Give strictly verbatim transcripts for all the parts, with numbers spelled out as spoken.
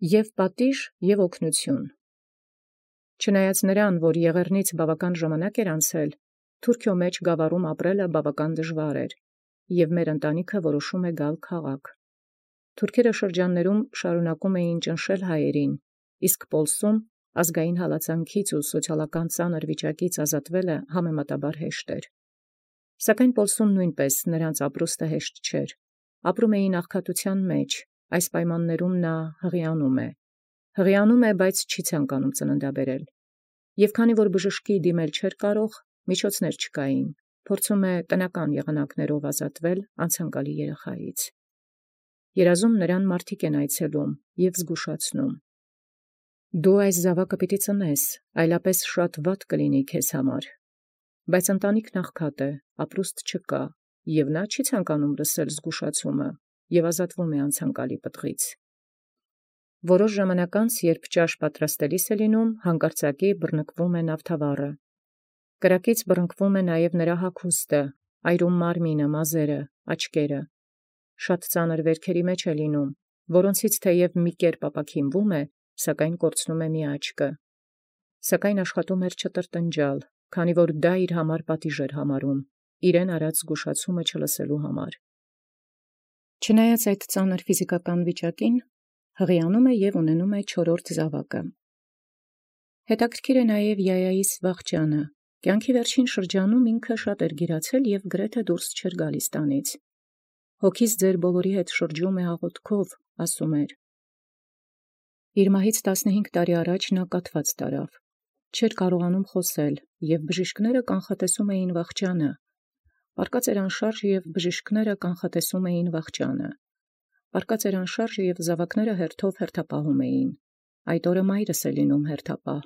Եւ պատիժ եւ օգնութիւն։ Չնայած նրան, որ եղեռնից բավական ժամանակ էր անցել, Թուրքիո մեջ գավառում ապրելը բավական դժվար էր, եւ մեր ընտանիքը որոշում է գալ քաղաք։ Թուրքերը շրջաններում շարունակում էին ճնշել հայերին, իսկ Պոլսում ազգային հալածանքից ու սոցիալական ծանր վիճակից ազատվելը համեմատաբար հեշտ էր։ Սակայն Պոլսում նույնպես նրանց ապրուստը հեշտ չէր։ Ապրում էին աղքատութեան մեջ, այս պայմաններում նա հղիանում է։ Հղիանում է, բայց չի ցանկանում ծննդաբերել։ Եւ քանի որ բժշկի դիմել չէր կարող, միջոցներ չկային, փորձում է տնական եղանակներով ազատվել անցանկալի երեխայից։ Երազում նրան մարդիկ են այցելում եւ զգուշացնում. «Դու այս զաւակը պիտի ծնես, այլապես շատ վատ կլինի քեզ համար»։ Բայց ընտանիքն աղքատ է, ապրուստ չկա, եւ նա չի ցանկանում լսել զգուշացումը եւ ազատվում է անցանկալի պտղից։ Որոշ ժամանակ անց, երբ ճաշ պատրաստելիս է լինում, հանկարծակի բռնկվում է նավթավառը։ Կրակից բռնկվում է նաև նրա հագուստը, այրում մարմինը, մազերը, աչքերը։ Շատ ծանր վերքերի մեջ է լինում, որոնցից թեև մի կերպ ապաքինվում է, սակայն կորցնում է մի աչքը։ Սակայն աշխատում էր չտրտնջալ, քանի որ դա իր համար պատիժ էր համարում, իրեն արած զգուշացումը չլսելու համար։ Չնայած այդ ծանր ֆիզիկական վիճակին, հղիանում է եւ ունենում է չորրորդ զաւակը։ Հետաքրքիր է նաև Յայայիս վախճանը։ Կյանքի վերջին շրջանում ինքը շատ էր գիրացել եւ գրեթե դուրս չէր գալիս տանից։ Հոգիս ձեր բոլորի հետ շրջում է աղոթքով, ասում էր։ Իր մահից տասնհինգ տարի առաջ նա կաթված տարավ։ Չէր կարողանում խոսել, եւ բժիշկները կանխատեսում էին վախճանը։ Պարկած էր անշարժ եւ բժիշկները կանխատեսում էին վախճանը։ Պարկած էր անշարժ եւ զավակները հերթով հերթապահում էին։ Այդ օրը մայրս է լինում հերթապահ։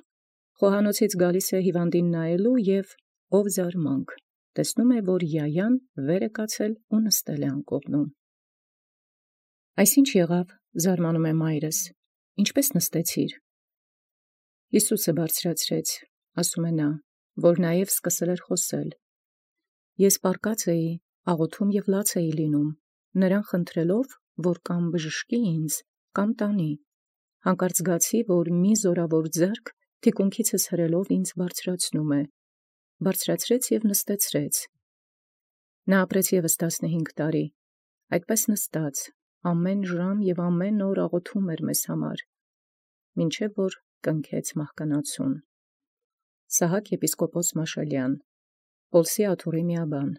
Խոհանոցից գալիս է հիվանդին նայելու եւ ով զարմանք, տեսնում է, որ Յայան վեր է կացել ու նստել է անկողնում։ Այսինչ եղավ, զարմանում է մայրս, ինչպես նստեցիր։ Հիսուսը բարձրացրեց, ասում է նա, որ նաև սկսել էր խոսել։ Ես պարկած էի, աղոթում եւ լաց էի լինում, նրան խնդրելով, որ կամ բժշկի ինձ, կամ տանի։ Հանկարծ զգացի, որ մի զորավոր ձեռք թիկունքիցս հրելով ինձ բարձրացնում է, բարձրացրեց եւ նստեցրեց։ Նա ապրեց եւս տասնհինգ տարի, այդպես նստած, ամեն ժամ եւ ամեն օր աղոթում էր մեզ համար, մինչեւ որ կնքեց մահկանացուն։ Սահակ եպիսկոպոս Մաշալյան, Պոլսի աթոռի միաբան։